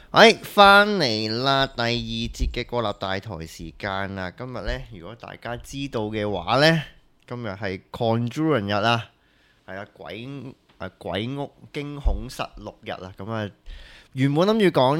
翻嚟啦！第二節嘅國立大台時間啦。今日呢，如果大家知道嘅話呢，今日係 Conjuring 日啊，係啊，鬼屋驚恐實錄日啊。咁啊，原本諗住講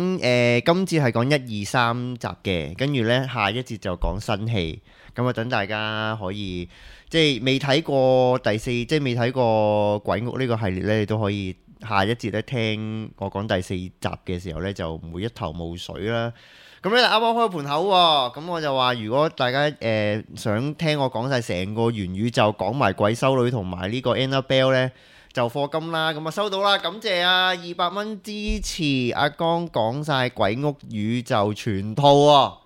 今次係講一二三集嘅，跟住呢，下一節就講新戲。咁啊，等大家可以即係未睇過第四，即係未睇過鬼屋呢個系列呢，你都可以。下一節咧，聽我講第四集嘅時候咧，就唔會一頭霧水啦。咁咧啱啱開盤口喎，咁我就話如果大家想聽我講晒成個元宇宙，講埋鬼修女同埋呢個 Annabelle 咧，就課金啦。咁啊收到啦，感謝啊，200蚊支持阿江講晒鬼屋宇宙全套喎，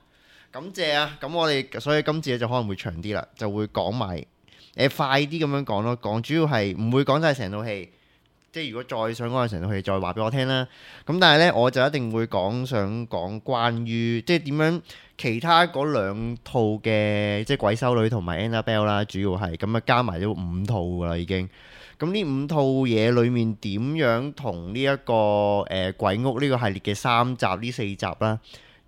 感謝啊。咁我哋所以今次咧就可能會長啲啦，就會講埋快啲咁樣講咯，講主要係唔會講晒成套戲。即係如果再想講成套戲，再話俾我聽啦。咁但係呢，我就一定會想講關於即係點樣其他嗰兩套嘅即係鬼修女同埋 Annabelle 啦，主要係咁啊加埋咗5套㗎啦已經。咁呢5套嘢裡面點樣同呢一個鬼屋呢個系列嘅3集呢4集啦，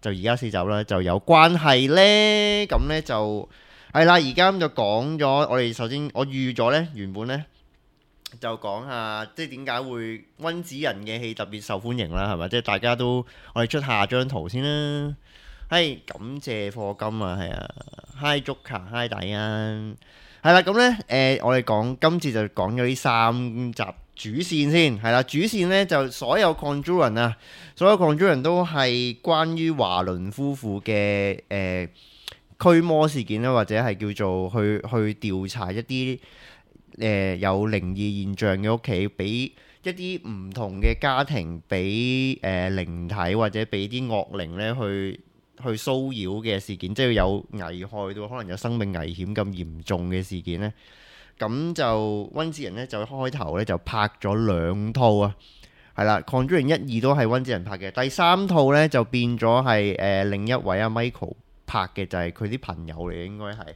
就而家4集啦就有關係呢？咁呢就係啦，而家就講咗。我哋首先我預咗呢，原本呢。就講下即係點解會温子仁嘅戲特別受歡迎啦，係咪？即係大家都我哋出下張圖先啦。係感謝課金啊，係啊，Hi Joker，Hi 大恩，係啦。咁呢，我哋講今次就講咗呢3集主線先，係啦。主線呢就所有 Conjuring 啊，所有 Conjuring 都係關於華倫夫婦嘅驅魔事件啦，或者係叫做去調查一啲。有靈異現象嘅屋企，俾一啲唔同嘅家庭，俾靈體或者俾啲惡靈咧去騷擾嘅事件，即係有危害到可能有生命危險咁嚴重嘅事件呢。咁就温子仁呢，就開頭呢就拍咗2套啊，係啦，《Conjuring》1、2都係温子仁拍嘅，第3套呢，就變咗係另一位阿 Michael 拍嘅，就係佢啲朋友嚟，應該係。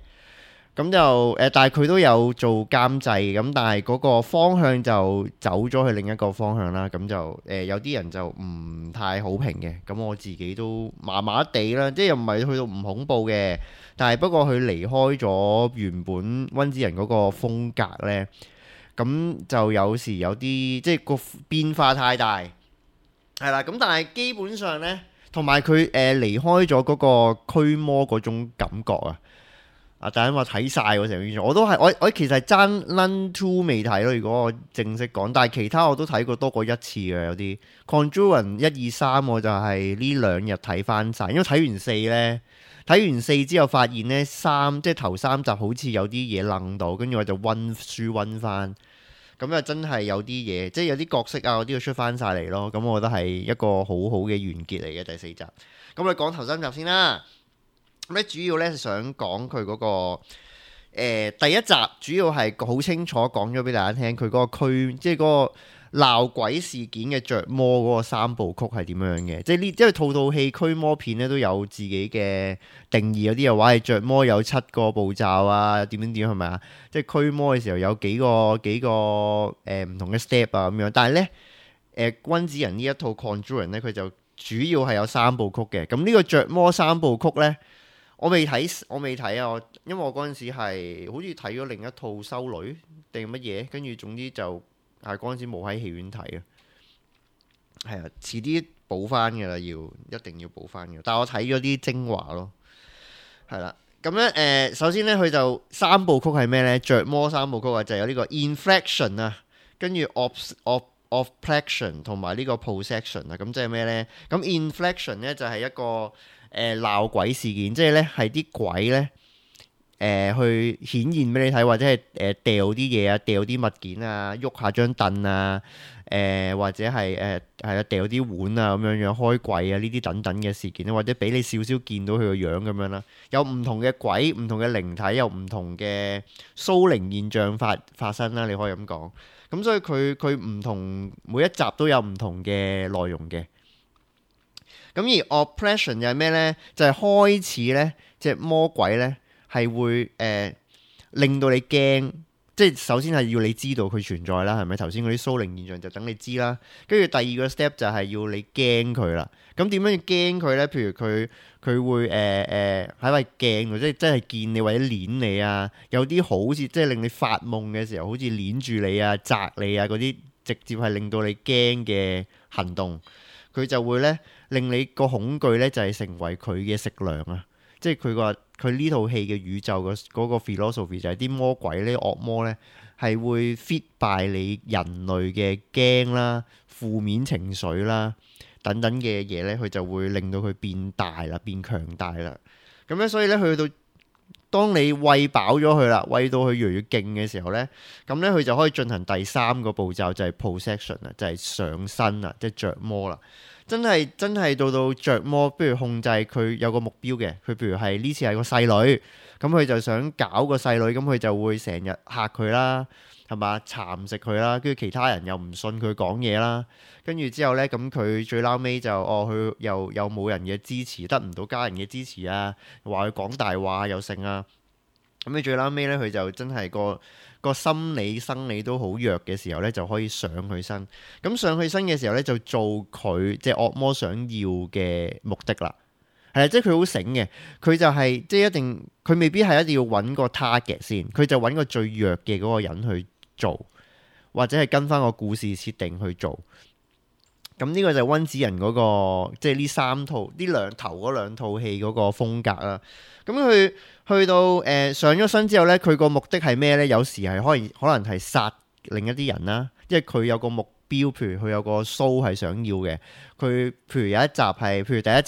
咁就但係佢都有做監製，咁但係嗰個方向就走咗去另一個方向啦。咁就有啲人就唔太好評嘅，咁我自己都麻麻地啦，即係又唔係去到唔恐怖嘅，但係不過佢離開咗原本温子仁嗰個風格呢，咁就有時有啲即係個變化太大，係啦。咁但係基本上呢，同埋佢離開咗嗰個驅魔嗰種感覺啊。大家話睇晒喎成個，我都係我其實係爭 Nun 2未睇咯。如果我正式講，但係其他我都睇過多過一次嘅，有啲 Conjuring 1、2、3我就係呢2日睇翻晒，因為睇完4呢，睇完4之後發現呢3即係頭3集好似有啲嘢愣到，跟住我就溫書溫翻，咁又真係有啲嘢，即係有啲角色啊嗰啲要出翻晒嚟咯。咁我覺得係一個好好嘅完結嚟嘅第4集。咁我哋講頭3集先啦。咁咧主要咧想講佢嗰個第一集，主要係好清楚講咗俾大家聽，佢嗰個即係嗰個鬧鬼事件嘅着魔嗰個3部曲係點樣嘅。即係呢，因為套戲驅魔片咧都有自己嘅定義，有啲又話係着魔有7個步驟啊，點係咪啊？即係驅魔嘅時候有幾個唔同嘅 step 啊咁樣。但係咧温子仁呢一套 Conjuring 咧，佢就主要係有3部曲嘅。咁呢個着魔3部曲咧。我未睇啊！因為我嗰陣時係好似睇咗另一套修女定乜嘢，跟住總之就係嗰陣時冇喺戲院睇啊。係啊，遲啲補翻嘅啦，一定要補翻嘅。但係我睇咗啲精華咯，係啦。咁咧首先咧佢就3部曲係咩咧？着魔3部曲啊，就係有呢個 inflection 啊，跟住 oppression 同埋呢個 possession 啊。咁即係咩咧？咁 inflection 咧就係一個鬧鬼事件，即係咧係啲鬼咧去顯現俾你睇，或者係掉啲嘢啊，掉啲物件啊，喐下張凳啊，或者係係啦，掉啲碗啊咁樣樣，開櫃啊呢啲等等嘅事件，或者俾你少少見到佢個樣咁樣啦。有唔同嘅鬼，唔同嘅靈體，有唔同嘅騷靈現象發生啦，你可以咁講。咁所以佢唔同，每一集都有唔同嘅內容嘅。咁而 oppression 又係咩呢？就係開始呢隻魔鬼呢係會令到你驚，即係首先係要你知道佢存在啦，係咪？頭先嗰啲蘇靈現象就等你知啦。跟住第二個 step 就係要你驚佢啦。咁點樣要驚佢呢？譬如佢會喺塊鏡度，即係真係見你或者捏你啊。有啲好似即係令你發夢嘅時候，好似捏住你啊、擲你啊嗰啲，直接係令到你驚嘅行動，佢就會呢令你個恐懼呢就係成為佢嘅食糧啊！即係佢呢套戲嘅宇宙嗰個 philosophy 就係啲魔鬼呢、惡魔呢係會 feed by 你人類嘅驚啦、負面情緒啦等等嘅嘢呢，佢就會令到佢變大啦、變強大啦。咁咧，所以呢，去到當你餵飽咗佢啦，餵到佢越嚟越勁嘅時候呢，咁呢，佢就可以進行第三個步驟，就係 possession 啊，就係上身啊，即係着魔啦。真係到着魔，不如控制佢有個目標嘅。佢譬如係呢次係個細女，咁佢就想搞個細女，咁佢就會成日嚇佢啦，係嘛，蠶食佢啦，跟住其他人又唔信佢講嘢啦，跟住之後呢，咁佢最撈尾就佢又冇人嘅支持，得唔到家人嘅支持啊，話佢講大話又剩啊，咁你最撈尾呢，佢就真係個心理生理都好弱嘅時候呢，就可以上佢身。咁上佢身嘅時候呢，就做佢即係惡魔想要嘅目的啦。係啊，即係佢好醒嘅，佢就係即係一定，佢未必係一定要揾個 target 先，佢就揾個最弱嘅嗰個人去做，或者係跟翻個故事設定去做。咁呢個就係溫子仁嗰個，即係呢頭嗰兩套戲嗰個風格啦。咁佢去到上咗身之後呢，佢個目的係咩呢？有時係可能係殺另一啲人啦，因為佢有個目標，譬如佢有個 show 係想要嘅。佢譬如有一集係，譬如第一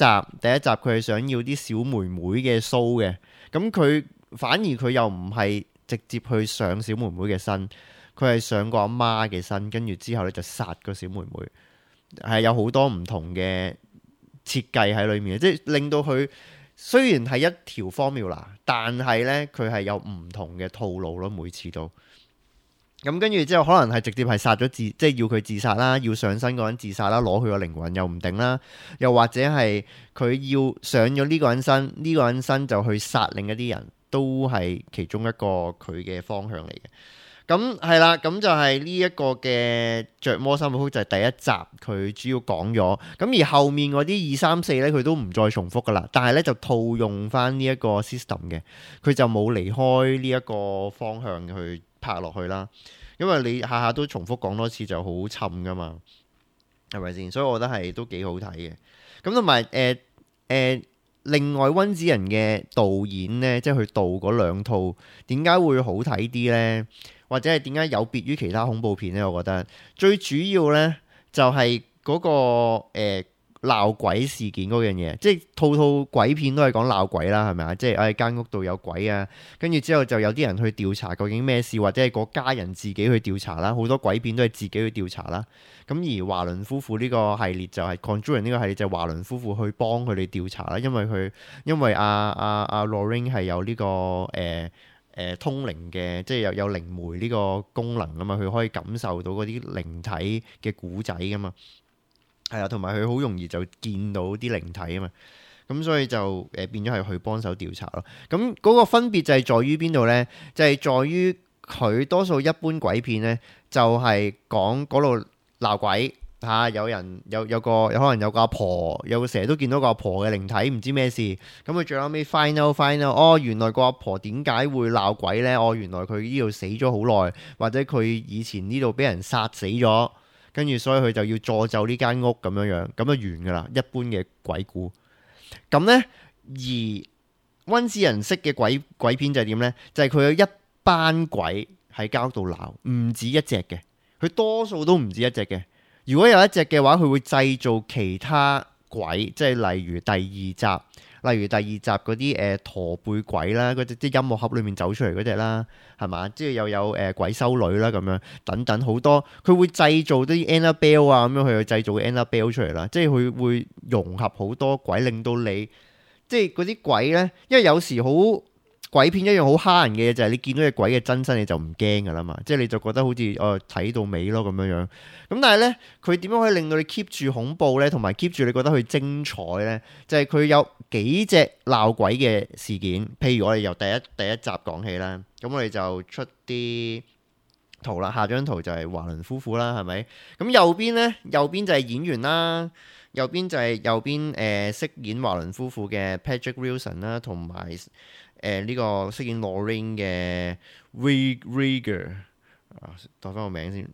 集佢係想要啲小妹妹嘅 show 嘅。咁佢反而佢又唔係直接去上小妹妹嘅身，佢係上個阿媽嘅身，跟住之後呢就殺個小妹妹。係有好多唔同嘅設計喺裏面，即係令到佢雖然係一條 formula，但係呢，佢係有唔同嘅套路咯，每次都咁跟住之後，可能係直接係殺咗即係要佢自殺啦，要上身嗰人自殺啦，攞佢個靈魂又唔定啦，又或者係佢要上咗呢個人身，呢個人身就去殺另一啲人，都係其中一個佢嘅方向嚟嘅。咁係啦，咁就係呢一個嘅着魔三部曲就係第一集佢主要講咗，咁而後面嗰啲2、3、4呢，佢都唔再重複噶啦，但係呢，就套用翻呢一個 system 嘅，佢就冇離開呢一個方向去拍落去啦，因為你下下都重複講多次就好沉噶嘛，係咪先？所以我覺得係都幾好睇嘅。咁同埋另外溫子仁嘅導演呢，即係佢導嗰兩套，點解會好睇啲呢？或者係點解有別於其他恐怖片呢？我覺得最主要呢，就係嗰個鬧鬼事件嗰樣嘢，即係套鬼片都係講鬧鬼啦，係咪啊？即係間屋度有鬼啊，跟住之後就有啲人去調查究竟咩事，或者係個家人自己去調查啦。好多鬼片都係自己去調查啦。咁而華倫夫婦呢個系列就係 Conjuring 呢個系列，就係華倫夫婦去幫佢哋調查啦。因為阿 Lorraine 係有呢個通靈嘅，即係有靈媒呢個功能啊嘛，佢可以感受到嗰啲靈體嘅古仔噶嘛，係啊，同埋佢好容易就見到啲靈體啊嘛，咁所以就變咗係去幫手調查咯。咁嗰個分別就係在於邊度呢？就係在於佢多數一般鬼片呢，就係講嗰度鬧鬼。有人有可能有個阿婆，成日都見到個阿婆嘅靈體，唔知咩事。咁佢最後尾 find out，原來個阿婆點解會鬧鬼呢？原來佢呢度死咗好耐，或者佢以前呢度俾人殺死咗，跟住所以佢就要詛咒呢間屋咁樣，咁就完噶啦。一般嘅鬼故咁呢，而溫子仁式嘅鬼片就係點呢？就係佢有一班鬼喺間屋度鬧，唔止一隻嘅，佢多數都唔止一隻嘅。如果有一隻嘅話，佢會製造其他鬼，即係例如第二集嗰啲駝背鬼啦，嗰隻啲音樂盒裏面走出嚟嗰隻啦，係嘛？即係又有鬼修女啦咁樣等等好多，佢會製造啲 Annabelle 啊咁樣，佢去製造 Annabelle 出嚟啦，即係佢會融合好多鬼，令到你即係嗰啲鬼呢，因為有時好。鬼片一樣好蝦人嘅嘢就係你見到隻鬼嘅真身你就唔驚噶啦嘛，即係你就覺得好似睇到尾咯咁樣。咁但係呢，佢點樣可以令到你 keep 住恐怖呢？同埋 keep 住你覺得佢精彩呢？就係佢有幾隻鬧鬼嘅事件。譬如我哋由第一集講起啦，咁我哋就出啲圖啦，下張圖就係華倫夫婦啦，係咪？咁右邊呢？右邊就係演員啦，右邊飾演華倫夫婦嘅 Patrick Wilson 啦，同埋呢個飾演 Lorraine 嘅 Rieger 啊，讀翻個名先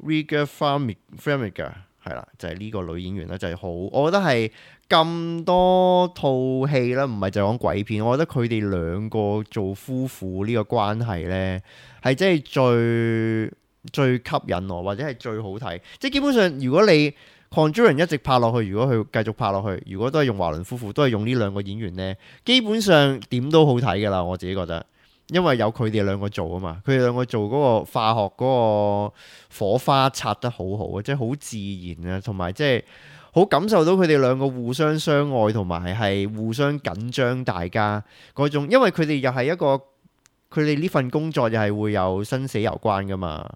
Rieger Farmiga 係啦，就係呢個女演員啦，就係好，我覺得係咁多套戲啦，唔係就講鬼片，我覺得佢哋兩個做夫婦呢個關係呢，係真係最吸引我，或者係最好睇。即係基本上，如果你 Conjuring 一直拍落去，如果佢繼續拍落去，如果都係用華倫夫婦，都係用呢兩個演員呢，基本上點都好睇㗎啦。我自己覺得，因為有佢哋兩個做啊嘛，佢哋兩個做嗰個化學嗰個火花擦得好好啊，即係好自然啊，同埋即係好感受到佢哋兩個互相相愛，同埋係互相緊張大家嗰種，因為佢哋又係一個佢哋呢份工作又係會有生死攸關噶嘛，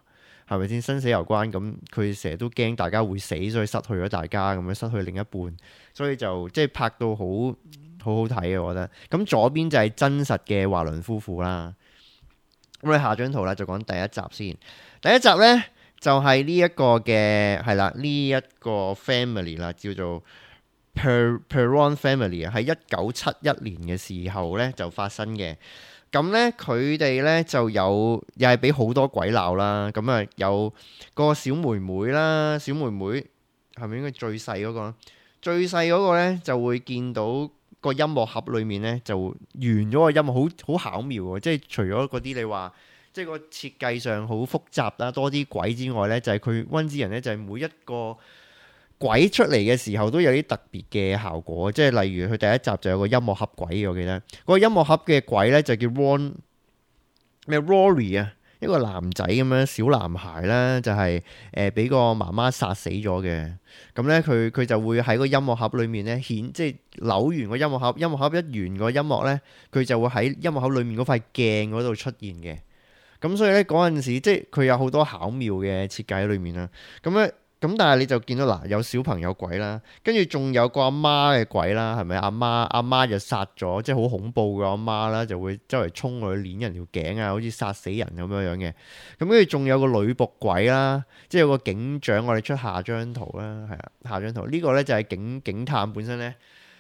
係咪先？生死攸關，咁佢成日都驚大家會死，所以失去咗大家，咁樣失去另一半，所以就即係拍到好好睇嘅，我覺得。咁左邊就係真實嘅華倫夫婦啦。咁你下張圖啦，就講第一集先。第一集呢，就係呢一個嘅係啦，呢一個 family 啦，叫做 Perron Family 啊，喺1971年嘅時候呢，就發生嘅。咁呢，佢哋呢就又係俾好多鬼鬧啦。咁啊有個小妹妹啦，小妹妹係咪應該最細嗰個？最細嗰個呢就會見到個音樂盒裏面呢，就完咗個音樂，好巧妙喎！即係除咗嗰啲你話，即係個設計上好複雜啦，多啲鬼之外呢，就係佢溫之人呢，就係每一個鬼出嚟嘅時候都有啲特別嘅效果，即係例如佢第一集就有個音樂盒鬼，我記得嗰個音樂盒嘅鬼呢，就叫 Rory 啊，一個男仔咁樣小男孩啦，就係俾個媽媽殺死咗嘅。咁呢，佢就會喺個音樂盒裏面呢，即係扭完個音樂盒，音樂盒一完個音樂呢，佢就會喺音樂盒裏面嗰塊鏡嗰度出現嘅。咁所以呢，嗰陣時即係佢有好多巧妙嘅設計喺裏面啦。咁咧。咁但係你就見到嗱，有小朋友鬼啦，跟住仲有個阿媽嘅鬼啦，係咪？阿媽就殺咗，即係好恐怖嘅阿媽啦，就會周圍衝落去攆人條頸啊，好似殺死人咁樣樣嘅。咁跟住仲有個女僕鬼啦，即係有個警長，我哋出下張圖啦，係啊，下張圖呢個呢就係警探本身呢，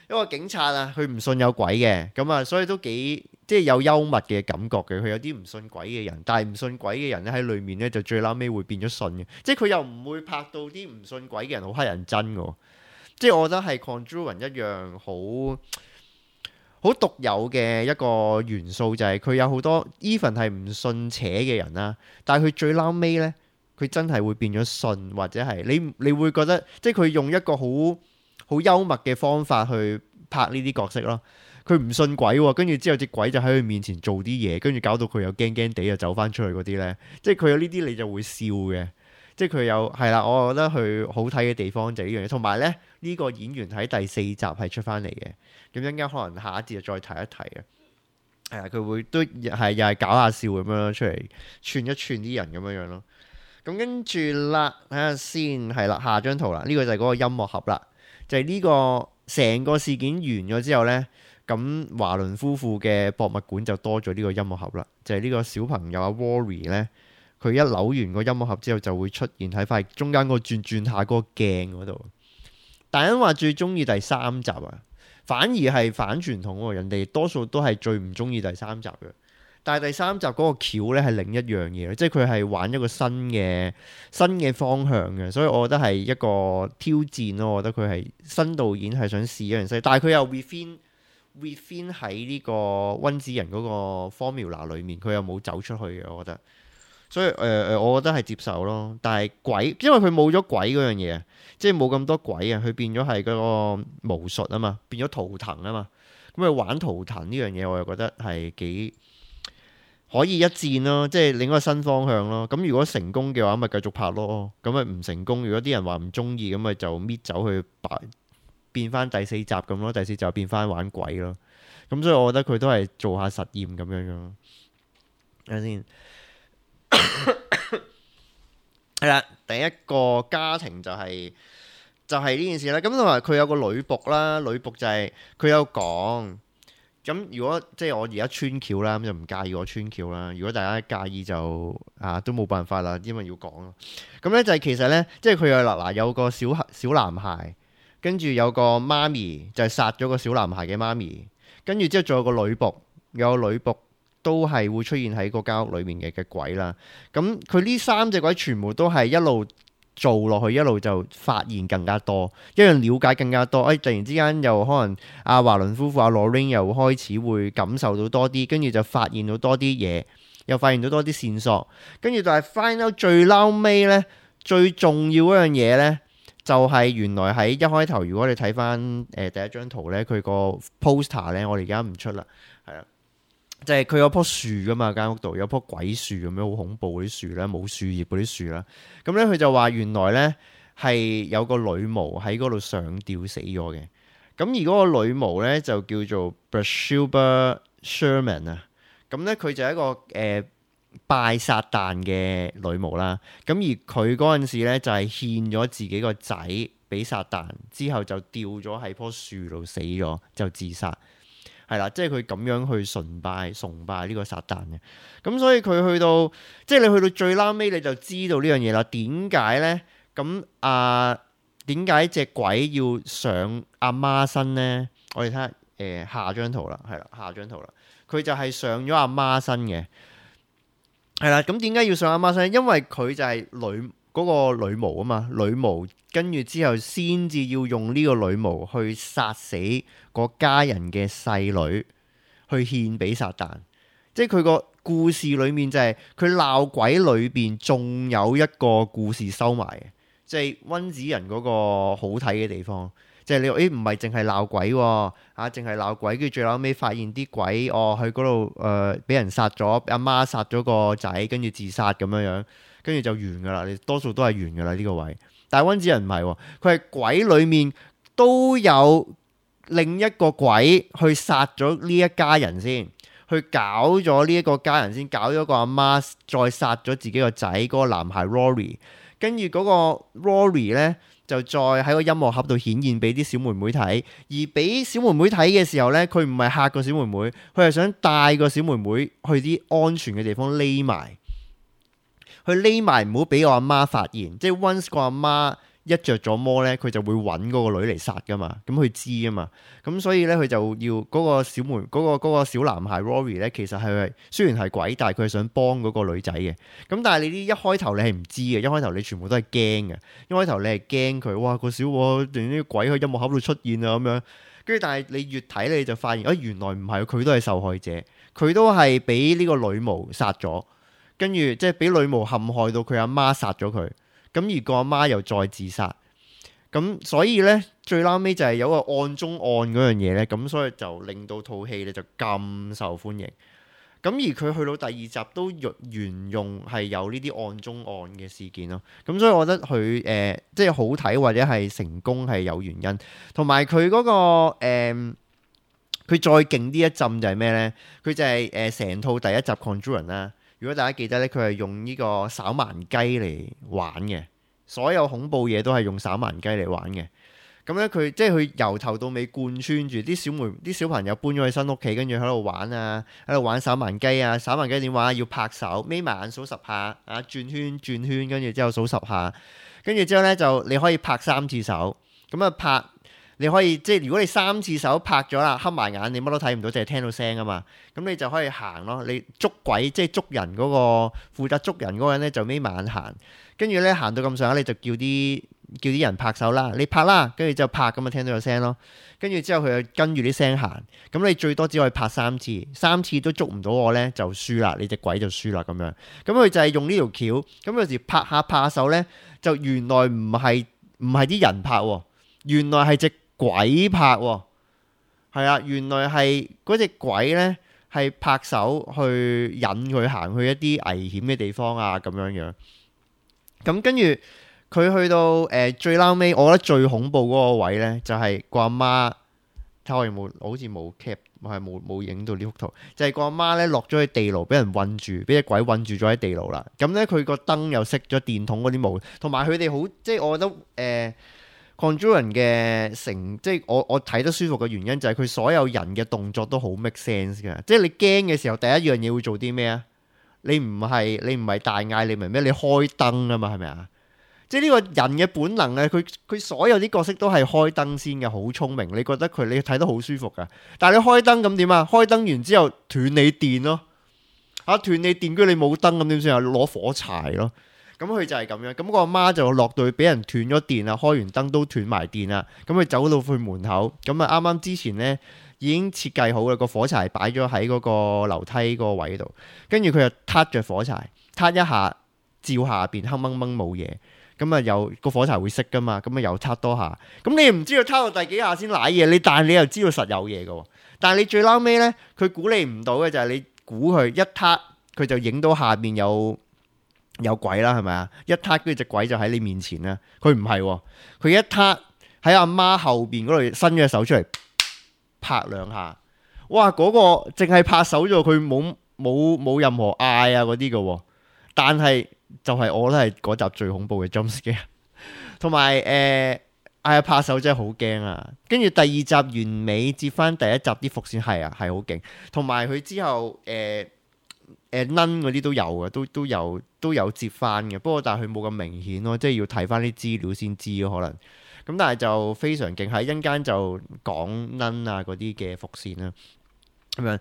一個警察啊，佢唔信有鬼嘅，咁啊，所以都幾即係有幽默嘅感覺嘅。佢有啲唔信鬼嘅人，但係唔信鬼嘅人咧喺裏面咧就最撈尾會變咗信嘅。即係佢又唔會拍到啲唔信鬼嘅人好乞人憎嘅。即係我覺得係 Conjuring 一樣好獨有嘅一個元素，就係佢有好多 even 係唔信邪嘅人啦，但係佢最撈尾咧，佢真係會變咗信，或者係你會覺得即係佢用一個好幽默嘅方法去拍呢啲角色咯。佢唔信鬼喎，跟住之後隻鬼就喺佢面前做啲嘢，跟住搞到佢又驚驚地又走翻出去嗰啲呢。即係佢有呢啲你就會笑嘅。即係佢有係啦，我覺得佢好睇嘅地方就係呢樣嘢。同埋呢，呢個演員喺第4集係出翻嚟嘅，咁陣間可能下一節就再提一提嘅。係啊，佢會都係又係搞下笑咁樣出嚟串一串啲人咁樣樣咯。咁跟住啦，睇下先係啦，下張圖啦，呢個就係嗰個音樂盒啦，就係呢個成個事件完咗之後呢。咁華倫夫婦嘅博物館就多咗呢個音樂盒啦，就係呢個小朋友阿 Rory 呢，佢一扭完個音樂盒之後就會出現喺塊中間個轉下嗰個鏡嗰度。大人話最中意第3集啊，反而係反傳統喎，人哋多數都係最唔中意第3集嘅。但係第3集嗰個橋呢係另一樣嘢，即係佢係玩一個新嘅方向嘅，所以我覺得係一個挑戰咯。我覺得佢係新導演係想試一樣新，但係佢又 within 喺呢個溫子仁嗰個 formula 裏面，佢又冇走出去嘅，我覺得。所以我覺得係接受咯。但係鬼，因為佢冇咗鬼嗰樣嘢，即係冇咁多鬼啊，佢變咗係嗰個巫術啊嘛，變咗圖騰啊嘛。咁佢玩圖騰呢樣嘢，我又覺得係幾可以一戰咯，即係另一個新方向咯。咁如果成功嘅話，咪繼續拍咯。咁咪唔成功，如果啲人話唔中意，咁咪就搣走去變翻第4集咁咯，第4集變翻玩鬼咯。咁所以我覺得佢都係做下實驗咁樣樣。睇下先，係啦，第一個家庭就係呢件事啦。咁同埋佢有個女僕啦，女僕就係佢有講，咁如果即係我而家穿橋啦，咁就唔介意我穿橋啦。如果大家介意就都冇辦法啦，因為要講咯。咁咧就係其實咧，即係佢有個小男孩，跟住有個媽咪就係殺咗個小男孩嘅媽咪，跟住之後仲有個女僕，有個女僕都係會出現喺個間屋裏面嘅鬼啦。咁佢呢3隻鬼全部都係一路做落去，一路就發現更加多，一樣了解更加多。突然之間又可能阿華倫夫婦阿 Lorraine 又開始會感受到多啲，跟住就發現到多啲嘢，又發現到多啲線索，跟住就係 find out 最撈尾呢，最重要嗰樣嘢呢，就係原來喺一開頭，如果你睇翻第一張圖呢，佢個 poster 呢，我哋而家唔出啦，係啦。就係佢有棵樹噶嘛，間屋度有棵鬼樹咁樣，好恐怖嗰啲樹啦，冇樹葉嗰啲樹啦。咁咧佢就話原來咧係有個女巫喺嗰度上吊死咗嘅。咁而嗰個女巫咧就叫做 Bathsheba Sherman 啊。咁咧佢就係一個拜撒旦嘅女巫啦。咁而佢嗰陣時咧就係獻咗自己個仔俾撒旦，之後就吊咗喺棵樹度死咗，就自殺。係啦，即係佢咁樣去崇拜呢個撒旦嘅，咁所以佢去到即係你去到最拉尾，你就知道呢樣嘢啦。點解呢？咁點解隻鬼要上阿媽身呢？我哋睇下下張圖啦，係啦，下張圖啦，佢就係上咗阿媽身嘅，係啦。咁點解要上阿媽身？因為佢就係嗰個女巫啊嘛，女巫跟住之後先至要用呢個女巫去殺死個家人嘅細女，去獻俾撒旦。即係佢個故事裏面就係佢鬧鬼裏邊仲有一個故事收埋嘅，即係溫子仁嗰個好睇嘅地方。即係你唔係淨係鬧鬼喎，淨係鬧鬼，跟住最後尾發現啲鬼去嗰度俾人殺咗，阿媽殺咗個仔，跟住自殺咁樣樣。跟住就完噶啦，你多數都係完噶啦呢個位。但係溫子仁唔係喎，佢係鬼裡面都有另一個鬼去殺咗呢一家人先，去搞咗呢一個家人先，搞咗個阿媽，再殺咗自己個仔嗰個男孩 Rory。跟住嗰個 Rory 呢，就再喺個音樂盒度顯現俾啲小妹妹睇，而俾小妹妹睇嘅時候呢，佢唔係嚇個小妹妹，佢係想帶個小妹妹去啲安全嘅地方匿埋。佢匿埋唔好俾我阿媽發現，即係 once 個阿媽一着咗魔咧，佢就會揾嗰個女嚟殺噶嘛，咁佢知啊嘛，咁所以咧佢就要嗰個小妹嗰個小男孩 Rory 咧，其實係雖然係鬼，但係佢係想幫嗰個女仔嘅。咁但係你啲一開頭你係唔知嘅，一開頭你全部都係驚嘅，一開頭你係驚佢，哇個小我連啲鬼喺音樂盒度出現啊咁樣，跟住但係你越睇你就發現，原來唔係，佢都係受害者，佢都係俾呢個女巫殺咗。跟住即係俾女巫陷害到佢阿媽殺咗佢，咁而個阿媽又再自殺，咁所以呢，最撈尾就係有個案中案嗰樣嘢呢，咁所以就令到套戲呢就咁受歡迎。咁而佢去到第二集都沿用係有呢啲案中案嘅事件咯，咁所以我覺得佢即係好睇或者係成功係有原因，同埋佢嗰個佢再勁啲一陣就係咩呢？佢就係成套第一集 Conjuring 啦。如果大家記得咧，佢係用呢個稍盲雞嚟玩嘅，所有恐怖嘢都係用稍盲雞嚟玩嘅。咁咧佢即係佢由頭到尾貫穿住啲小朋友搬咗去新屋企，跟住喺度玩啊，喺度玩稍盲雞啊。稍盲雞點玩？要拍手，眯埋眼數10下，轉圈，跟住之後數10下，跟住之後咧就你可以拍3次手，咁啊拍。你可以即係如果你3次手拍咗啦，黑埋眼，你乜都睇唔到，淨係聽到聲啊嘛。咁你就可以行咯。你捉鬼即係捉人嗰個負責捉人嗰個人咧，就眯埋眼行。跟住咧行到咁上下，你就叫啲人拍手啦。你拍啦，跟住之後拍咁啊，聽到有聲咯。跟住之後佢就跟住啲聲行。咁你最多只可以拍3次，3次都捉唔到我咧，就輸啦。你隻鬼就輸啦咁樣。咁佢就係用呢條橋。咁有時拍下手咧，就原來唔係啲人拍喎，原來係隻鬼拍喎，係啊，原來係嗰隻鬼呢，係拍手去引佢行去一啲危險嘅地方啊，咁樣樣。咁跟住佢去到最撈尾，我覺得最恐怖嗰個位呢，就係個阿媽。睇我有冇，好似冇 cap，我係冇影到呢幅圖。就係個阿媽呢，落咗去地牢，俾人韞住，俾隻鬼韞住咗喺地牢啦。咁呢，佢個燈又熄咗，電筒嗰啲冇，同埋佢哋好，即係我覺得 Conjuring 嘅即係我睇得舒服嘅原因就係佢所有人嘅動作都好 make sense 嘅。即係你驚嘅時候，第一樣嘢會做啲咩啊？你唔係大嗌，你明咩？你開燈啊嘛，係咪啊？即係呢個人嘅本能咧，佢所有啲角色都係開燈先嘅，好聰明。你覺得你睇得好舒服噶，但係你開燈咁點啊？開燈完之後斷你電咯，斷你電，跟住你冇燈咁點算啊？攞火柴咯。咁佢就係咁樣。咁個阿媽就落到去俾人斷咗電啦，開完燈都斷埋電啦。咁佢走到去門口，咁啊啱啱之前呢已經設計好啦，個火柴擺咗喺嗰個樓梯個位度，跟住佢就撻着火柴，撻一下照下邊黑掹掹冇嘢。咁啊，又個火柴會熄噶嘛？咁啊，又撻多下。咁你唔知道撻到第幾下先瀨嘢，但係你又知道實有嘢嘅。但係你最撈尾呢，佢估你唔到嘅就係你估佢一撻，佢就影到下邊有鬼啦，係咪啊？一撻跟住隻鬼就喺你面前啦。佢唔係，佢一撻喺阿媽後邊嗰度伸咗隻手出嚟拍兩下。哇！嗰個淨係拍手咗，佢冇任何嗌啊嗰啲嘅。但係就係我覺得係嗰集最恐怖嘅 jump scare，同埋拍手真係好驚啊！跟住第二集完美接翻第一集啲伏線係好勁，同埋佢之後Nun 嗰啲都有嘅，都有接翻嘅。不過但係佢冇咁明顯咯，即係要睇翻啲資料先知咯可能。咁但係就非常勁，喺一陣間就講 Nun 啊嗰啲嘅伏線啦，咁樣。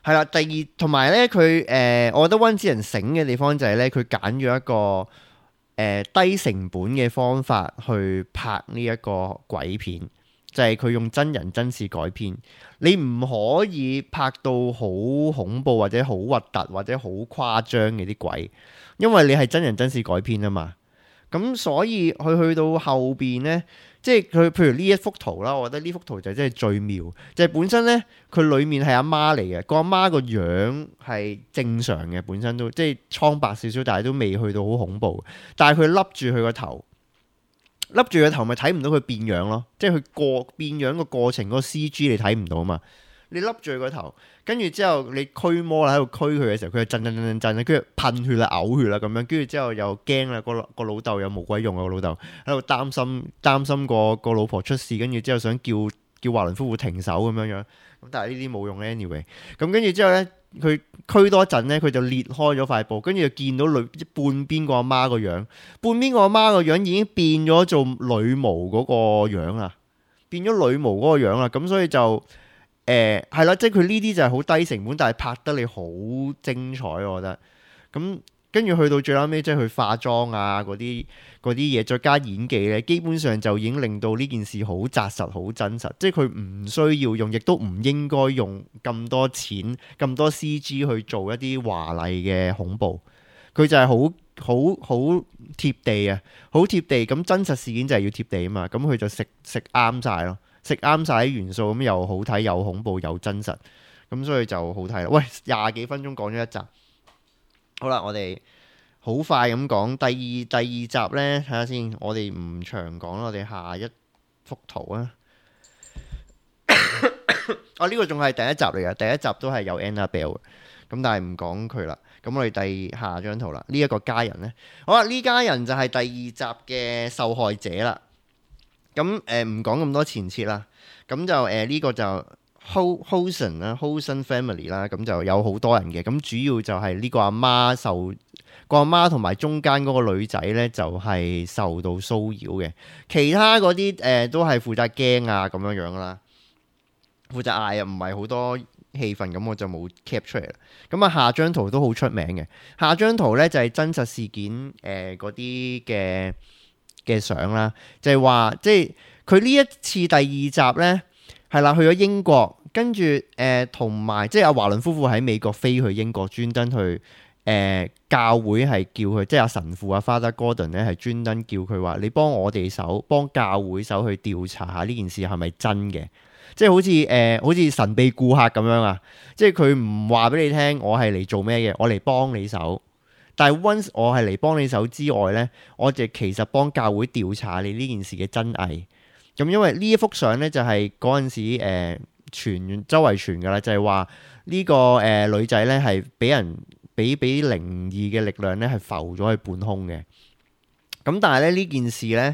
係啦，第二同埋咧，佢我覺得溫子仁醒嘅地方就係咧，佢揀咗一個低成本嘅方法去拍呢一個鬼片，就係佢用真人真事改編。你唔可以拍到好恐怖或者好核突或者好誇張嘅啲鬼，因為你係真人真事改編啊嘛。咁所以佢去到後邊呢，即係佢譬如呢一幅圖啦，我覺得呢幅圖就真係最妙，就係本身呢，佢裡面係阿媽嚟嘅，個阿媽個樣係正常嘅，本身都即係蒼白少少，但係都未去到好恐怖。但係佢笠住佢個頭，笠住個頭咪睇唔到佢變樣咯，即係佢變樣個過程嗰個 CG 你睇唔到啊嘛。你笠住佢個頭，跟住之後你驅魔啦，喺度驅佢嘅時候，佢就震，跟住噴血啦、嘔血啦咁樣，跟住之後又驚啦，個老豆又冇鬼用啊，個老豆喺度擔心個老婆出事，跟住之後想叫華倫夫婦停手咁樣，咁但係呢啲冇用 anyway。咁跟住之後呢，佢驅多陣呢，佢就裂開咗塊布，跟住就見到半邊個阿媽個樣，半邊個阿媽個樣已經變咗做女巫嗰個樣啦，變咗女巫嗰個樣啦，咁所以就。係啦，即係佢呢啲就係好低成本，但係拍得你好精彩，我覺得。咁跟住去到最後尾，即係佢化妝啊嗰啲嘢，再加演技咧，基本上就已經令到呢件事好紮實、好真實。即係佢唔需要用，亦都唔應該用咁多錢、咁多 CG 去做一啲華麗嘅恐怖。佢就係好貼地啊，好貼地。咁真實事件就係要貼地啊嘛。咁佢就食啱晒咯。食啱晒啲元素，咁又好睇，又恐怖，又真實，咁所以就好睇啦。喂，20幾分鐘講咗一集，好啦，我哋好快咁講第二集呢，睇下先。我哋唔長講啦，我哋下一幅圖啊。呢個仲係第一集嚟嘅，第一集都係有 Annabelle 嘅，咁但係唔講佢啦。咁我哋下張圖啦，呢一個家人呢，好啦，呢家人就係第二集嘅受害者啦。咁唔講咁多前設啦，咁就呢個就 Hosen 啦 ，Hosen family 啦，咁就有好多人嘅，咁主要就係呢個阿媽同埋中間嗰個女仔呢，就係受到騷擾嘅，其他嗰啲都係負責驚啊咁樣啦，負責嗌啊，唔係好多氣氛，咁我就冇 cap 出嚟啦。咁啊，下張圖都好出名嘅，下張圖呢，就係真實事件嗰啲嘅相啦，就係話即係佢呢一次第二集呢，係啦，去咗英國，跟住同埋即係阿華倫夫婦喺美國飛去英國，專登去教會係叫佢，即係阿神父阿 Father Gordon 咧係專登叫佢話：你幫我哋手，幫教會手去調查下呢件事係咪真嘅？即係好似神秘顧客咁樣啊！即係佢唔話俾你聽，我係嚟做咩嘅？我嚟幫你手。但係 once 我係嚟幫你手之外呢，我就其實幫教會調查你呢件事嘅真偽。咁因為呢一幅相呢，就係嗰陣時周圍傳㗎啦，就係話呢個女仔呢係俾人俾靈異嘅力量呢係浮咗去半空嘅。咁但係咧呢件事呢，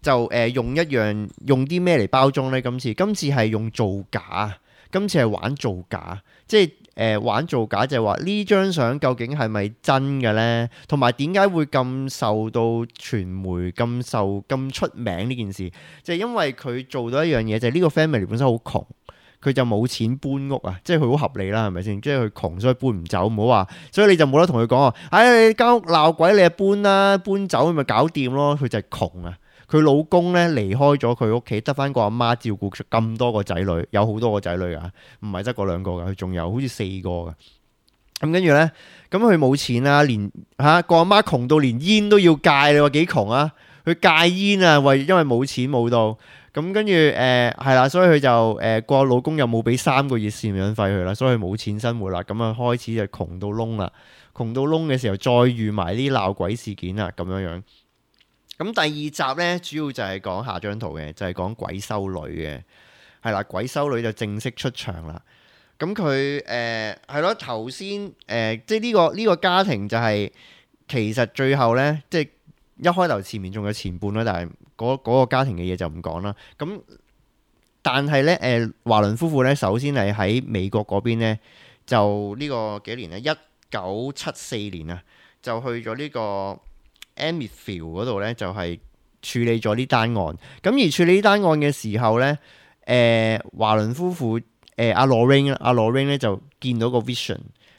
就用用啲咩嚟包裝呢？今次係用造假，今次係玩造假，即係玩造假就係話呢張相究竟係咪真嘅呢？同埋點解會咁受到傳媒咁出名呢件事？就係因為佢做到一樣嘢，就係呢個 family 本身好窮。佢就冇錢搬屋啊，即係佢好合理啦，係咪先？即係佢窮，所以搬唔走，唔好話，所以你就冇得同佢講啊！你間屋鬧鬼，你就搬啦，搬走咪搞掂咯。佢就係窮啊！佢老公咧離開咗佢屋企，得翻個阿媽照顧咁多個仔女，有好多個仔女噶，唔係得嗰2個噶，佢仲有好似4個噶。咁跟住咧，咁佢冇錢啦，連個阿媽窮到連煙都要戒，你話幾窮啊？佢戒煙啊，因為冇錢冇到。咁跟住係啦，所以佢就個老公又冇俾3個月贍養費佢啦，所以冇錢生活啦。咁啊開始就窮到窿啦，窮到窿嘅時候再遇埋啲鬧鬼事件啦，咁樣樣。咁第2集呢，主要就係講下張圖嘅，就係講鬼修女嘅，係啦，鬼修女就正式出場啦。咁佢係咯，頭先即係呢個家庭就係其實最後呢，即係一開頭前面仲有前半啦，但係嗰個家庭嘅嘢就唔講啦。咁但係咧，華倫夫婦咧，首先係喺美國嗰邊咧，就呢個幾年咧，1974年啊，就去咗呢個 Amityville 嗰度咧，就係處理咗呢單案。咁而處理呢單案嘅時候咧，華倫夫婦阿 Lorraine 咧就見到個 vision，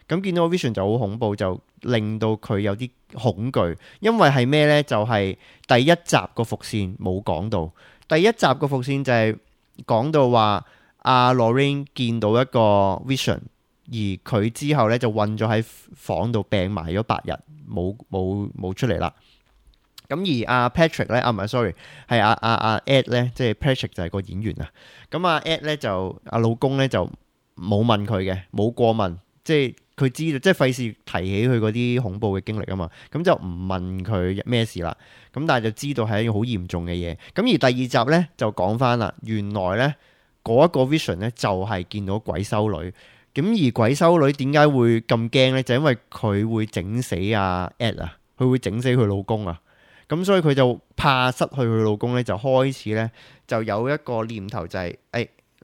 咁見到個 vision 就好恐怖，就令到佢有啲恐懼，因為係咩呢？就係第1集個伏線冇講到，第1集個伏線就係講到話阿 Lorraine 見到一個 vision， 而佢之後呢就困咗喺房度病埋咗8日，冇出嚟啦。咁而阿 Patrick 咧，唔係 sorry， 係阿 Ed 咧，即係 Patrick 就係個演員啊。咁阿 Ed 咧就阿老公咧就冇問佢嘅，冇過問，即係。佢知道，即係費事提起佢嗰啲恐怖嘅經歷啊嘛，咁就唔問佢咩事啦。咁但係就知道係一樣好嚴重嘅嘢。咁而第2集呢，就講翻啦，原來呢嗰一個 vision 呢，就係見到鬼修女。咁而鬼修女點解會咁驚呢？就因為佢會整死阿 Ed 啊，佢會整死佢老公啊。咁所以佢就怕失去佢老公呢，就開始呢，就有一個念頭就係，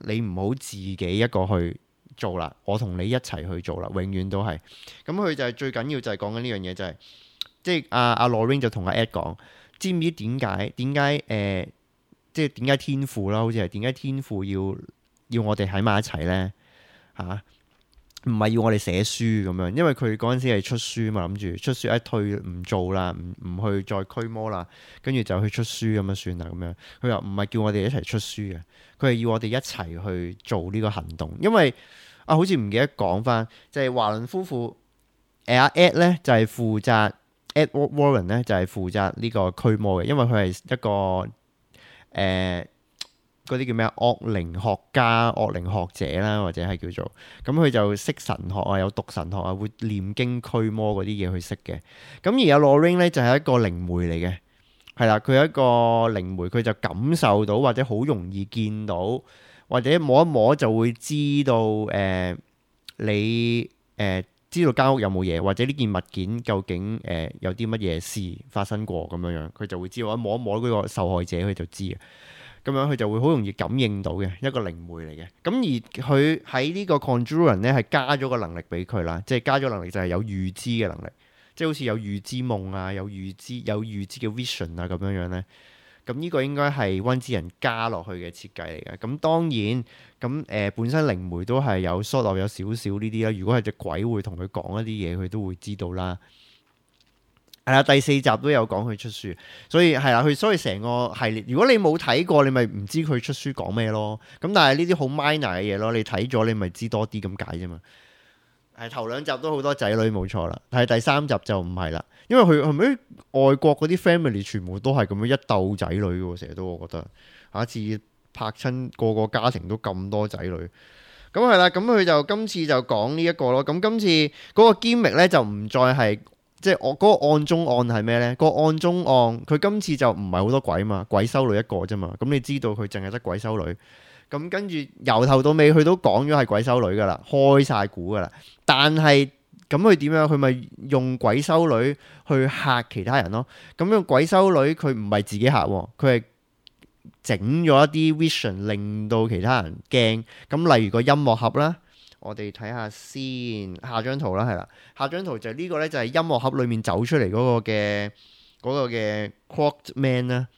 你唔好自己一個去做啦，我同你一齊去做啦，永遠都係。咁佢就係最緊要就係講緊呢樣嘢，就係即係阿 Lorraine 就同阿 Ed 講，知唔知點解即係點解天父啦，好似係點解天父要我哋喺埋一齊呢？唔係要我哋寫書咁樣，因為佢嗰陣時係出書嘛，諗住出書一退唔做啦，唔去再驅魔啦，跟住就去出書咁樣算啦咁樣。佢話唔係叫我哋一齊出書嘅，佢係要我哋一齊去做呢個行動，因為好似唔記得講翻，就係華倫夫婦阿 Ed 咧就係負責 Edward Warren 咧就係負責呢個驅魔嘅，因為佢係一個嗰啲叫咩惡靈學家、惡靈學者啦，或者係叫做咁，佢就識神學啊，有讀神學啊，會念經驅魔嗰啲嘢去識嘅。咁而阿 Lorraine 咧就係一個靈媒嚟嘅，係啦，佢係一個靈媒，佢就感受到或者好容易見到，或者摸一摸就會知道你知道間屋有冇嘢，或者呢件物件究竟有啲乜嘢事發生過咁樣樣，佢就會知道。摸一摸嗰個受害者，佢就知嘅。咁樣佢就會好容易感應到嘅一個靈媒嚟嘅。咁而佢喺呢個 Conjuring 咧係加咗個能力俾佢啦，即係加咗能力就係有預知嘅能力，即係好似有預知夢啊，有預知嘅 vision 啊咁樣樣咧。咁呢個應該係溫之人加落去嘅設計嚟嘅。咁當然咁本身靈媒都係有 sort of 有少少呢啲啦。如果係隻鬼會同佢講一啲嘢，佢都會知道啦。係啦，第4集都有講佢出書，所以係啦，所以成個系列，如果你冇睇過，你咪唔知佢出書講咩咯。咁但係呢啲好 minor 嘅嘢咯，你睇咗你咪知多啲咁解啫嘛。係頭2集都好多仔女冇錯啦，但係第3集就唔係啦，因為佢係咪外國嗰啲 family 全部都係咁樣一竇仔女嘅喎，成日都我覺得下一次拍親個家庭都咁多仔女。咁係啦，咁佢就今次就講呢一個咯。咁今次嗰個 gimmick 咧就唔再係。即係我嗰個案中案係咩呢？個案中案佢今次就唔係好多鬼嘛，鬼修女一個啫嘛。咁你知道佢淨係得鬼修女。咁跟住由頭到尾佢都講咗係鬼修女噶啦，開晒估噶啦。但係咁佢點樣？佢咪用鬼修女去嚇其他人咯？咁樣鬼修女佢唔係自己嚇，佢係整咗一啲 vision 令到其他人驚。咁例如個音樂盒啦，我哋睇下先，下張圖啦，係啦，下張圖就係呢個呢，就係音樂盒裡面走出嚟嗰個嘅 Crooked Man 啦，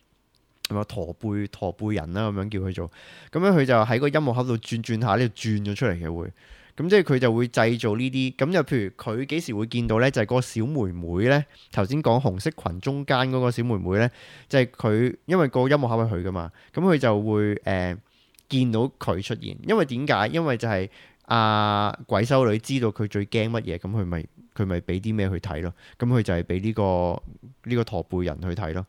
係咪駝背人啦，咁樣叫佢做。咁樣佢就喺個音樂盒度轉下，呢度轉咗出嚟嘅會。咁即係佢就會製造呢啲。咁就譬如佢幾時會見到呢？就係嗰個小妹妹呢。頭先講紅色裙中間嗰個小妹妹呢，就係佢，因為個音樂盒係佢噶嘛。咁佢就會見到佢出現。因為點解？因為就係鬼修女知道佢最驚乜嘢，咁佢咪俾啲咩去睇咯。咁佢就係俾呢個駝背人去睇咯。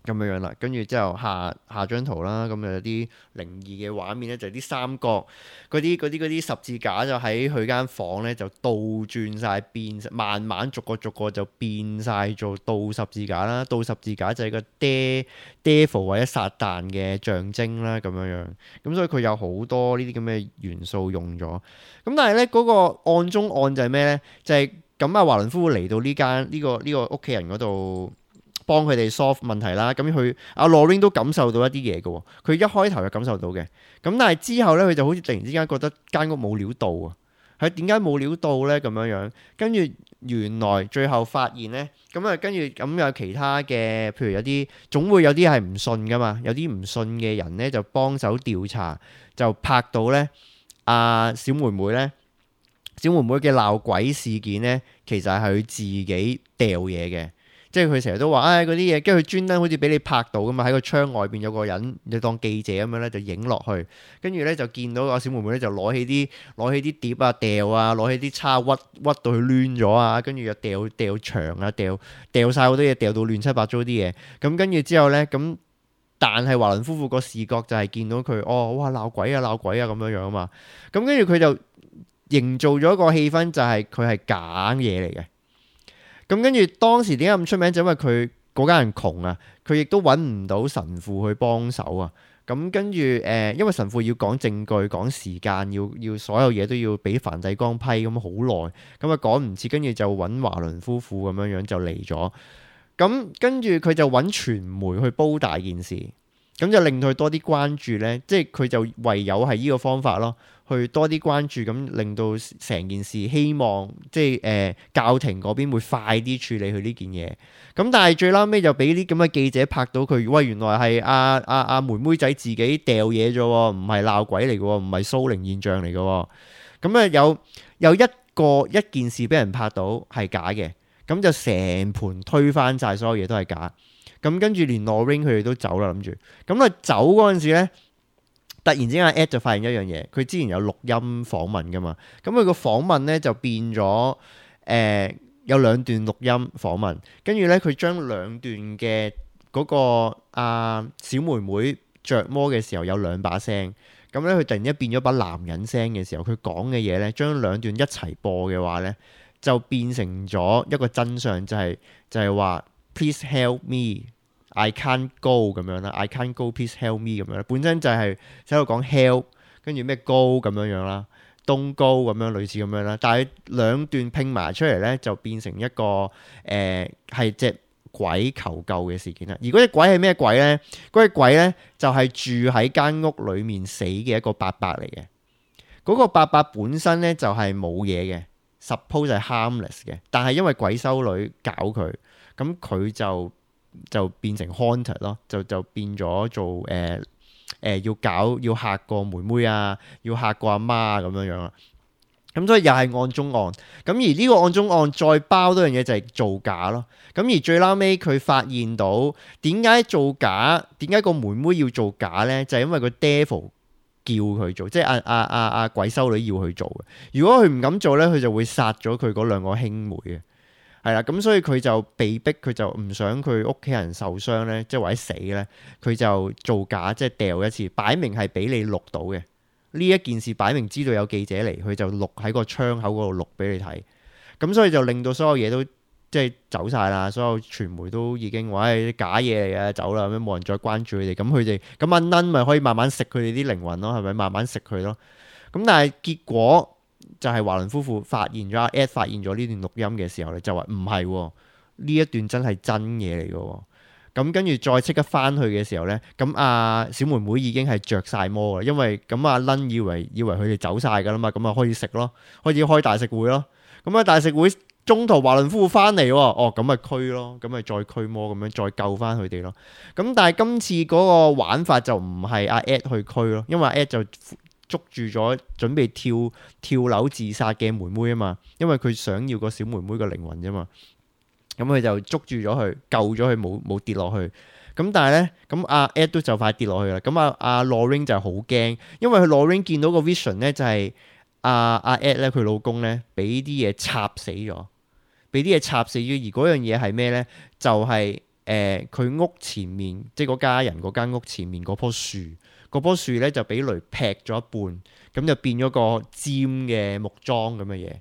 咁樣啦，跟住之後下張圖啦，咁就有啲靈異嘅畫面咧，就係啲三角嗰啲十字架就喺佢間房咧就倒轉晒變，慢慢逐個就變晒做倒十字架啦。倒十字架就係個 devil 或者撒旦嘅象徵啦，咁樣。咁所以佢有好多呢啲咁嘅元素用咗。咁但係咧嗰個案中案就係咩咧？就係咁華倫夫婦嚟到呢個屋企人嗰度，幫佢哋 solve 問題啦，咁佢Lorraine 都感受到一啲嘢嘅喎，佢一開頭就感受到嘅，咁但係之後咧佢就好似突然之間覺得間屋冇料到啊，係點解冇料到咧咁樣？跟住原來最後發現咧，跟住咁有其他嘅，譬如總會有啲係唔信噶嘛，有啲唔信嘅人咧就幫手調查，就拍到咧小妹妹嘅鬧鬼事件咧，其實係佢自己掉嘢嘅。即係佢成日都話嗰啲嘢，跟住佢專登好似俾你拍到噶嘛，喺個窗外邊有個人，你當記者咁樣咧就影落去，跟住咧就見到個小妹妹咧就攞起啲碟啊掉啊，攞起啲叉屈到佢攣咗啊，跟住又掉牆啊，掉晒好多嘢，掉到亂七八糟啲嘢。咁跟住之後咧，但係華倫夫婦個視覺就係見到佢哇鬧鬼啊咁樣樣啊嘛。咁跟住佢就營造咗一個氣氛，就係佢係假嘢嚟嘅。咁跟住當時點解咁出名？就因為佢嗰家人窮啊，佢亦都揾唔到神父去幫手啊。咁跟住因為神父要講證據、講時間，要所有嘢都要俾梵蒂岡批，咁好耐，咁啊趕唔切，跟住就揾華倫夫婦咁樣就嚟咗。咁跟住佢就揾傳媒去煲大件事，咁就令佢多啲關注呢。即係佢就唯有係呢個方法咯。去多啲關注，咁令到成件事，希望即係教廷嗰邊會快啲處理佢呢件嘢。咁但係最撈尾就俾啲咁嘅記者拍到佢，喂，原來係阿妹妹仔自己掉嘢啫，唔係鬧鬼嚟嘅，唔係蘇靈現象嚟嘅。咁啊有一件事俾人拍到係假嘅，咁就成盤推翻晒，所有嘢都係假。咁跟住連 Lorraine 佢哋都走啦，諗住。咁啊走嗰陣時咧，突然之間 Ed 就發現一樣嘢，佢之前有錄音訪問噶嘛，咁佢個訪問咧就變咗有兩段錄音訪問，跟住咧佢將兩段嘅嗰個小妹妹着魔嘅時候有兩把聲，咁咧佢突然間變咗把男人聲嘅時候，佢講嘅嘢咧將兩段一齊播嘅話咧，就變成咗一個真相，就係話 Please help me。I can't go 咁樣啦 ，I can't go please help me 咁樣啦，本身就係喺度講 help， 跟住咩 go 咁樣啦 ，don't go 咁樣類似咁樣啦，但係兩段拼埋出嚟咧，就變成一個係隻鬼求救嘅事件啦。而嗰隻鬼係咩鬼咧？嗰隻鬼咧就係住喺間屋裡面死嘅一個伯伯嚟嘅。嗰個伯伯本身咧就係冇嘢嘅 ，suppose 係 harmless 嘅，但係因為鬼修女搞佢，咁佢就變成 haunted 咯，就變咗做要嚇個妹妹啊，要嚇個阿媽咁樣啦。咁所以又係案中案。咁而呢個案中案再包多樣嘢就係造假咯。咁而最撈尾佢發現到點解造假，點解個妹妹要做假呢？就係因為個 devil 叫佢做，即係阿鬼修女要佢做嘅。如果佢唔敢做呢，佢就會殺咗佢嗰兩個兄妹嘅。係啦，咁所以佢就被逼，佢就唔想佢屋企人受傷咧，即係或者死咧，佢就造假，即係掉一次，擺明係俾你錄到嘅。呢一件事擺明知道有記者嚟，佢就錄喺個窗口嗰度錄俾你睇。咁所以就令到所有嘢都即係走晒啦，所有傳媒都已經話係假嘢嚟嘅，走啦，咁冇人再關注佢哋。咁阿 Nun 咪可以慢慢食佢哋啲靈魂咯，係咪？慢慢食佢咯。咁但係結果就係華倫夫婦發現咗，Ed 發現咗呢段錄音嘅時候咧，就話唔係喎，呢一段真係真嘢嚟嘅喎。咁跟住再即刻翻去嘅時候咧，咁阿小妹妹已經係着晒魔啦，因為咁阿倫以為佢哋走晒噶啦嘛，咁啊開始食咯，開始開大食會咯。咁啊大食會中途華倫夫婦翻嚟喎，咁咪驅咯，咁咪再驅魔咁樣再救翻佢哋咯。咁但係今次嗰個玩法就唔係阿 Ed 去驅咯，因為阿 Ed 就捉住咗準備跳樓自殺嘅妹妹啊嘛，因為佢想要個小妹妹嘅靈魂啫嘛。咁佢就捉住咗佢，救咗佢冇跌落去。咁但係咧，咁阿 Ed 都就快跌落去啦。咁阿 Lorraine 就好驚，因為佢 Lorraine 見到個 vision 咧就係阿 Ed 咧佢老公咧俾啲嘢插死咗，而嗰樣嘢係咩咧？就係佢屋前面，即係嗰家人嗰間屋前面嗰棵樹咧就俾雷劈咗一半，咁就變咗個尖嘅木樁咁嘅嘢。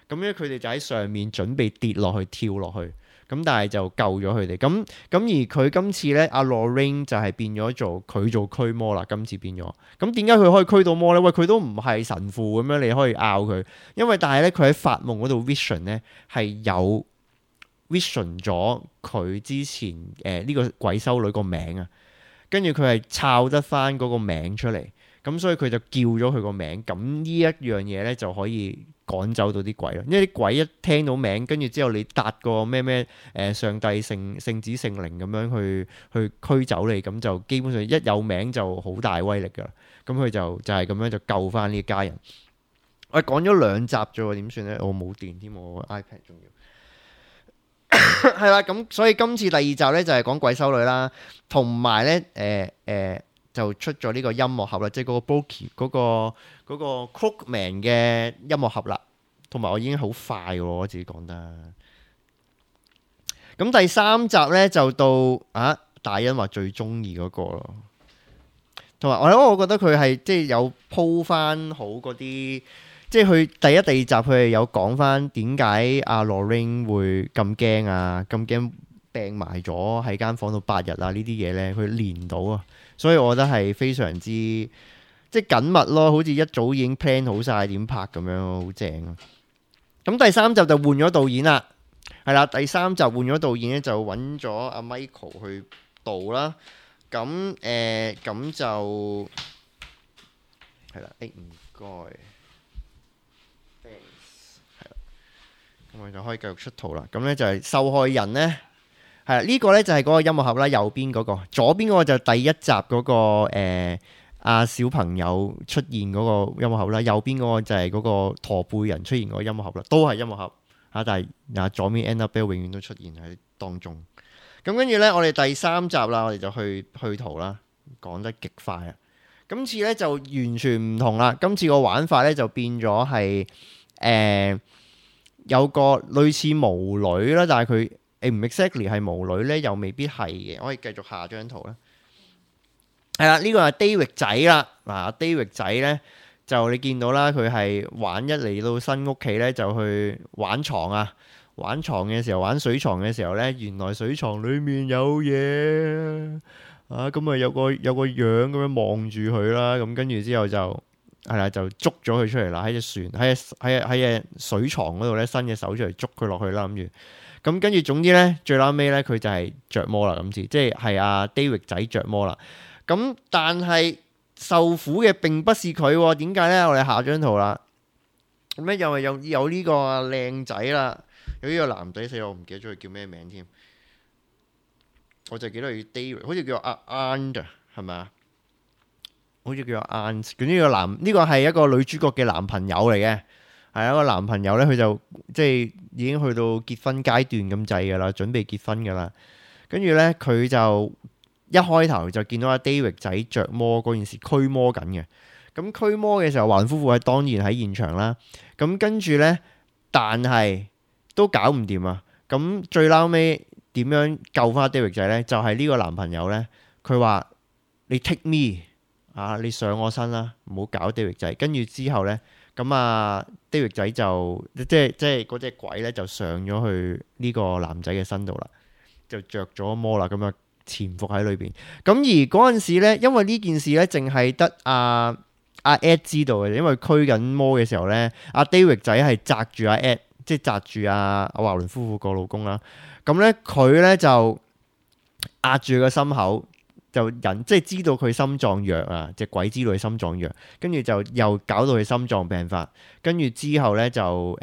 咁咧佢哋就喺上面準備跌落去跳落去。咁但係就救咗佢哋，咁而佢今次咧，阿 Lorraine 就係變咗做驅魔啦。今次變咗，咁點解佢可以驅到魔咧？喂，佢都唔係神父咁樣，你可以拗佢，因為但係咧佢喺發夢嗰度 vision 咧係有 vision 咗佢之前呢個鬼修女個名啊，跟住佢係抄得翻嗰個名出嚟，咁所以佢就叫咗佢個名，咁呢一樣嘢咧就可以趕走到啲鬼咯，因為啲鬼一聽到名，跟住之後你搭個咩上帝聖子聖靈咁樣去驅走你，咁就基本上一有名就好大威力噶啦。咁佢就係咁樣就救翻呢家人。我講咗2集啫喎，點算咧？我冇電添，我 iPad 仲要係啦。咁所以今次第2集咧就係講鬼修女啦，同埋咧就出咗呢個音樂盒啦，即係嗰個 Brokey 嗰個 Crookman 嘅音樂盒啦，同埋我已經好快喎，我自己講得。咁第3集咧就到大欣話最中意嗰個咯，同埋我覺得佢係即係有鋪翻好嗰啲，即係佢第1、第2集佢係有講翻點解阿 Lorraine 會咁驚啊，咁驚病埋咗喺間房度8日啊，呢啲嘢咧佢連到啊。所以我覺得係非常之即係緊密咯，好似一早已經 plan 好晒點拍咁樣，好正啊！咁第3集就換咗導演啦，係啦，第3集換咗導演咧就揾咗阿 Michael 去導啦。咁就係啦，唔該，係啦，咁我就可以繼續出圖啦。咁咧就係受害人咧。係啦，呢個咧就係嗰個音樂盒啦，右邊嗰個，左邊嗰個就第1集嗰個小朋友出現嗰個音樂盒啦，右邊嗰個就係嗰個駝背人出現嗰個音樂盒啦，都係音樂盒但係左邊 Annabelle 永遠都出現喺當中。咁跟住咧，我哋第3集啦，我哋就去圖啦，講得極快啊！今次咧就完全唔同啦，今次個玩法咧就變咗係有個類似巫女啦，但係佢唔 exactly 係巫女咧，又未必係嘅。我可以繼續下張圖啦。係啦，呢個係 David 仔啦。嗱，David 仔咧就你見到啦，佢係玩一嚟到新屋企咧就去玩床啊。玩床嘅時候，玩水床嘅時候咧，原來水床裡面有嘢啊！咁啊有個樣咁樣望住佢啦。咁跟住之後就係啦，就捉咗佢出嚟啦。喺隻船喺水床嗰度咧，伸隻手出嚟捉佢落去啦。諗住。咁跟住總之咧，最撈尾咧佢就係着魔啦，今次即係阿 David 仔着魔啦。咁但係受苦嘅並不是佢喎，點解咧？我哋下張圖啦。咁咧又係有呢個靚仔啦，有呢個男仔死我唔記得咗佢叫咩名添。我就記得佢 David，好似叫阿 And 係咪啊？好似叫阿 And。咁呢個係一個女主角嘅男朋友嚟嘅。係一個男朋友咧，佢就即係已經去到結婚階段咁滯噶啦，準備結婚噶啦。跟住咧，佢就一開頭就見到阿 David 仔着魔嗰件事驅魔緊嘅。咁驅魔嘅時候，華倫夫婦係當然喺現場啦。咁跟住咧，但係都搞唔掂啊。咁最撈尾點樣救翻 David 仔咧？就係呢個男朋友咧，佢話你 take me 你上我身啦，唔好搞 David 仔。跟住之後咧。咁David 仔就即係嗰隻鬼咧，就上咗去呢個男仔嘅身度啦，就着咗魔啦，咁啊潛伏喺裏邊。咁而嗰陣時咧，因為呢件事咧，淨係得阿 Ed 知道嘅，因為驅緊魔嘅時候咧，阿 David 仔係擲住阿 Ed，即係擲住阿華倫夫婦個老公啦。咁咧佢咧就壓住佢個心口，就即係知道佢心臟弱啊，隻鬼知道佢心臟弱，跟住就又搞到佢心臟病發，跟住之後咧就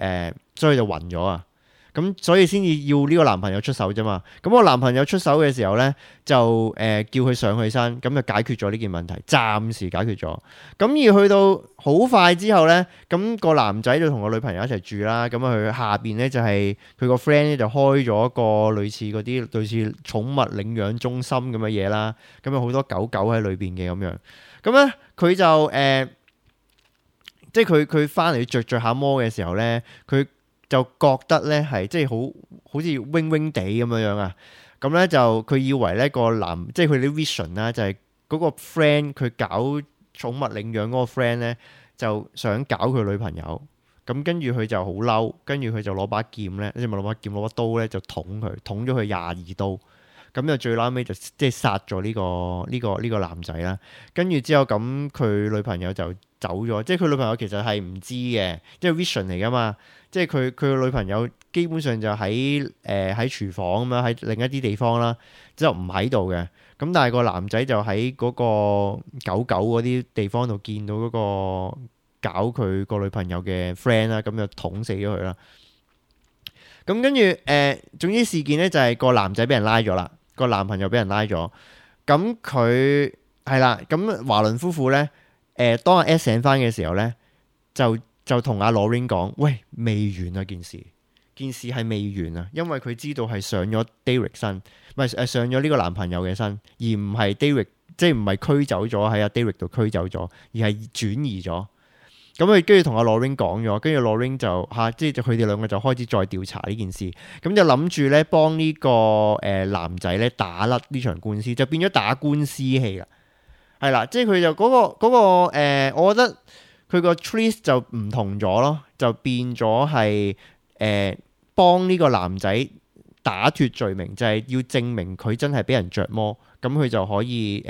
所以就暈咗啊。咁所以先至要呢個男朋友出手啫嘛。咁個男朋友出手嘅時候呢，就叫佢上去山，咁就解決咗呢件問題，暫時解決咗。咁而去到好快之後呢，咁個男仔就同個女朋友一齊住啦。咁佢下邊呢，就係佢個 friend 咧就開咗一個類似嗰啲類似寵物領養中心咁嘅嘢啦。咁有好多狗狗喺裏邊嘅咁樣。咁呢，佢就即係佢翻嚟着下摩嘅時候呢，佢就覺得咧係即係好似 wing wing 地咁樣啊，咁咧就佢以為咧個男即係佢啲 vision 啦，就係嗰個 friend 佢搞寵物領養嗰個 friend 咧就想搞佢女朋友，咁跟住佢就好嬲，跟住佢就攞把劍咧，即係咪攞把劍攞把刀咧就捅咗佢22刀，咁就最撈尾就即係殺咗呢個男仔啦，跟住之後咁佢女朋友就走咗，即係佢女朋友其實係唔知嘅，即係 vision 嚟噶嘛。即係佢個女朋友基本上就喺廚房咁樣，喺另一啲地方啦，之後唔喺度嘅。咁但係個男仔就喺嗰個狗狗嗰啲地方度見到嗰個搞佢個女朋友嘅 friend 啦，咁就捅死咗佢啦。咁跟住總之事件咧就係個男仔俾人拉咗啦，個男朋友俾人拉咗。咁佢係啦，咁華倫夫婦咧當阿 S 醒翻嘅時候咧就同阿 Lorraine 講，喂，未完啊件事係未完啊，因為佢知道係上咗 Derek 身，唔係上咗呢個男朋友嘅身，而唔係 Derek， 即係唔係驅走咗喺阿 Derek 度驅走咗，而係轉移咗。咁佢跟住同阿 Lorraine 講咗，跟住 Lorraine 就即係佢哋兩個就開始再調查呢件事，咁就諗住咧幫呢個男仔咧打甩呢場官司，就變咗打官司戲啦。係啦，即係佢就嗰個我覺得。佢個 twist 就唔同咗咯，就變咗係幫呢個男仔打脱罪名，就係要證明佢真係俾人着魔，咁佢就可以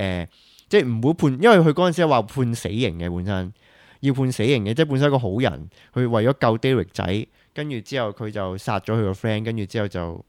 即係唔會判，因為佢嗰陣時話判死刑嘅，本身要判死刑嘅，即係本身一個好人，佢為咗救 Derek 仔，跟住之後佢就殺咗佢個 friend，跟住之後就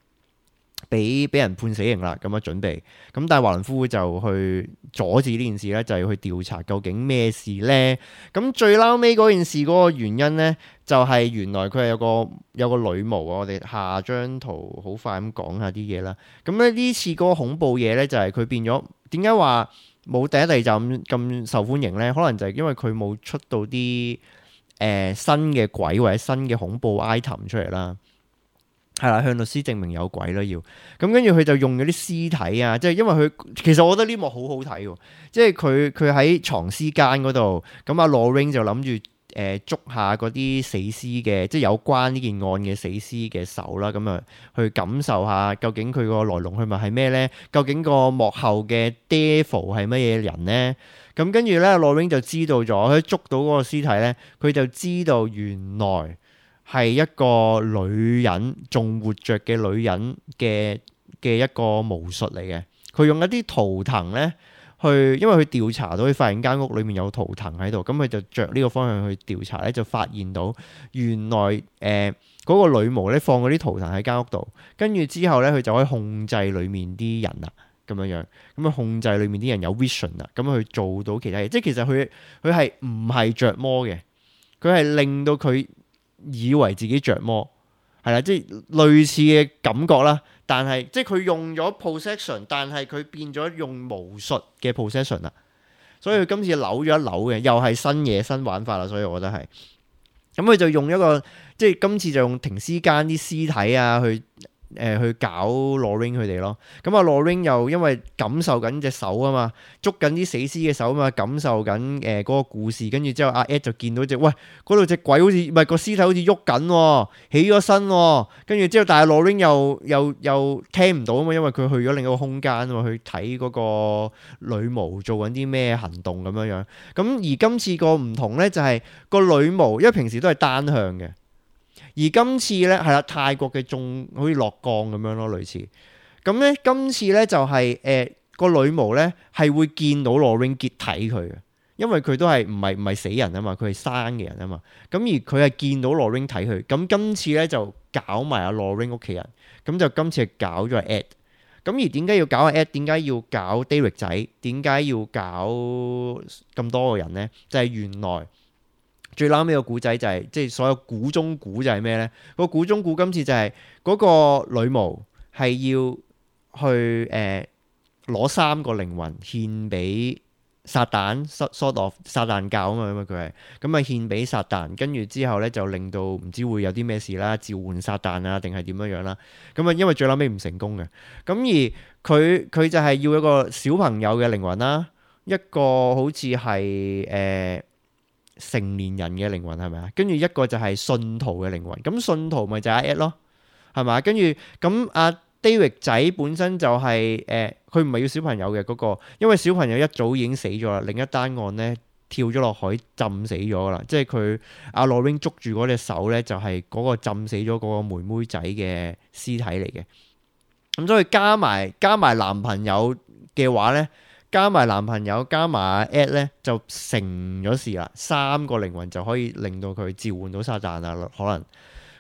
俾人判死刑啦，咁樣準備。咁但係華倫夫婦就去阻止呢件事咧，就係去調查究竟咩事咧。咁最撈尾嗰件事嗰個原因咧，就係原來佢係有個女巫啊。我哋下張圖好快咁講下啲嘢啦。咁咧呢次嗰個恐怖嘢咧，就係佢變咗點解話冇第一、第二集咁受歡迎咧？可能就係因為佢冇出到啲新嘅鬼或者新嘅恐怖 item 出嚟啦。係啦，向律師證明有鬼啦要，咁跟住佢就用咗啲屍體啊，即係因為佢其實我覺得呢幕好好睇喎，即係佢喺藏屍間嗰度，咁阿 Lorraine 就諗住捉下嗰啲死屍嘅，即係有關呢件案嘅死屍嘅手啦，咁啊去感受下究竟佢個來龍去脈係咩咧？究竟個幕後嘅 devil 係乜嘢人咧？咁跟住咧 Lorraine 就知道咗，佢捉到嗰個屍體咧，佢就知道原來係一個女人，仲活着嘅女人嘅一個巫術嚟嘅。佢用一啲圖騰咧，因為佢調查到佢發現間屋裏面有圖騰喺度，咁佢就着呢個方向去調查咧，就發現到原來嗰個女巫咧放嗰啲圖騰喺間屋度，跟住之後咧佢就可以控制裏面啲人啦，咁樣咁啊控制裏面啲人有 vision 啦，咁去做到其他嘢。即係其實佢係唔係着魔嘅，佢係令到佢以為自己着魔，係啦，即係類似嘅感覺啦。但係即係佢用咗 possession， 但係佢變咗用巫術嘅 possession 啦。所以佢今次扭咗一扭嘅，又係新嘢新玩法啦。所以我覺得係，咁佢就用一個即係今次就用停屍間啲屍體啊去搞 Lorraine 佢哋咯，咁啊 Lorraine 又因為感受緊隻手啊嘛，捉緊啲死屍嘅手啊嘛，感受緊嗰個故事，跟住之後阿 Ed 就見到喂嗰度隻鬼好似唔係個屍體好似喐緊，起咗身，跟住之後但係 Lorraine 又聽唔到啊嘛，因為佢去咗另一個空間啊嘛，去睇嗰個女巫做緊啲咩行動咁樣。咁而今次個唔同咧就係個女巫，因為平時都係單向嘅。而今次咧係啦，泰國嘅仲好似落降咁樣咯，類似咁咧。今次咧就係個女巫咧係會見到 Lorraine 結體佢嘅，因為佢都係唔係死人啊嘛，佢係生嘅人啊嘛。咁而佢係見到 Lorraine 睇佢，咁今次咧就搞埋阿 Lorraine 屋企人，咁就今次係搞咗阿 Ed。咁而點解要搞阿 Ed？ 點解要搞 Derek 仔？點解要搞咁多個人呢？就係原來最撈尾個古仔就係即係所有估中估就係咩呢？個估中估今次就係嗰個女巫係要去攞3個靈魂獻俾撒旦 sort of 撒旦教啊嘛，佢係咁啊獻俾撒旦，跟住之後咧就令到唔知會有啲咩事啦，召喚撒旦啊定係點樣樣啦？咁啊因為最後尾唔成功嘅，咁而佢就係要一個小朋友嘅靈魂啦，一個好似係成年人嘅靈魂係咪啊？跟住一個就係信徒嘅靈魂，咁信徒咪就係阿 Ed 咯，係嘛？跟住咁阿David 仔本身就係佢唔係要小朋友嘅嗰個，因為小朋友一早已經死咗啦。另一單案咧跳咗落海浸死咗啦，即係佢阿 Lorraine 捉住嗰隻手咧，就係嗰個浸死咗嗰個妹妹仔嘅屍體嚟嘅。咁所以加埋男朋友嘅話咧，加埋男朋友加埋 Ed 咧，就成咗事啦。3個靈魂就可以令到佢召喚到撒旦啦，可能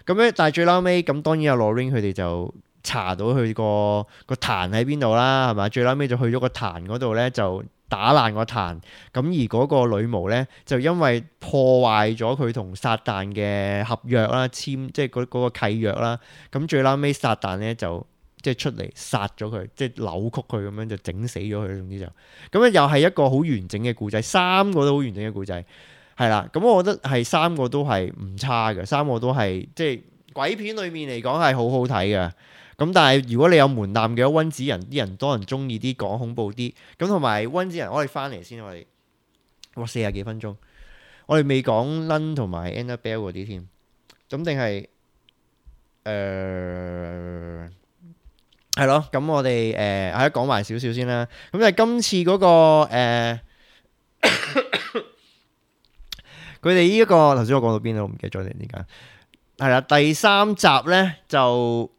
咁咧。但係最撈尾咁，當然阿 Lorraine 佢哋就查到佢個壇喺邊度啦，係嘛？最撈尾就去咗個壇嗰度咧，就打爛個壇。咁而嗰個女巫咧，就因為破壞咗佢同撒旦嘅合約啦，即係嗰個契約啦。咁最撈尾撒旦咧就即係出嚟殺咗佢，即係扭曲佢咁樣就整死咗佢。總之就咁咧，又係一個好完整嘅故仔，3個都好完整嘅故仔，係啦。咁我覺得係3個都係唔差嘅，3個都係即係鬼片裏面嚟講係好好睇嘅。咁但係如果你有門檻嘅溫子仁，啲人多人中意啲講恐怖啲，咁同埋溫子仁，我哋翻嚟先，我哋40幾分鐘，我哋未講 Nun 同埋 Annabelle 嗰啲添，咁定係係咯，咁我哋喺度講埋少少先啦。咁就係今次嗰個佢哋呢一個頭先我講到邊度，我唔記得咗點解係啦。第3集咧就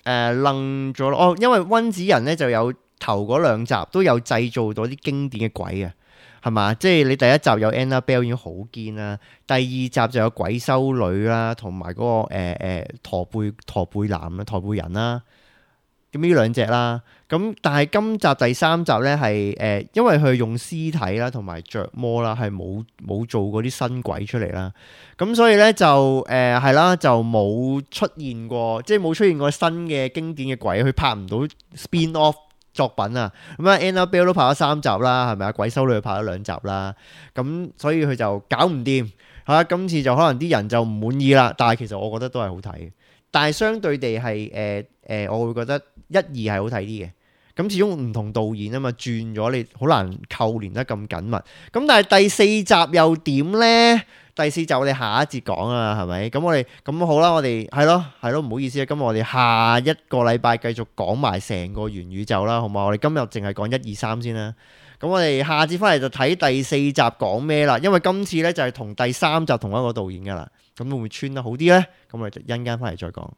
愣咗咯。哦，因為溫子仁咧就有頭嗰2集都有製造到啲經典嘅鬼啊，係嘛？即係你第1集有 Annabelle 已經好堅啦，第2集就有鬼修女啦，同埋嗰個駝背男啦、駝背人啦。咁呢2隻啦，咁但係今集第3集咧係因為佢用屍體啦同埋着魔啦，係冇做嗰啲新鬼出嚟啦，咁所以咧就係啦，就冇出現過，即係冇出現過新嘅經典嘅鬼，佢拍唔到 spin off 作品啊。咁啊 Annabelle 都拍咗3集啦，係咪啊？鬼修女拍咗2集啦，咁所以佢就搞唔掂嚇。今次就可能啲人就唔滿意啦，但係其實我覺得都係好睇嘅。但係相對地係我會覺得1、2係好睇啲嘅。咁始終唔同導演啊嘛，轉咗你好難扣連得咁緊密。咁但係第4集又點呢？第4集我哋下一節講啊，係咪？咁我哋咁好啦，我哋係咯，唔好意思啊。今日我哋下一個禮拜繼續講埋成個元宇宙啦，好嘛？我哋今日淨係講1、2、3先啦。咁我哋下節翻嚟就睇第4集講咩啦。因為今次呢就係同第3集同一個導演噶啦。咁會唔會穿得好啲呢？咁我哋一陣間翻嚟再講。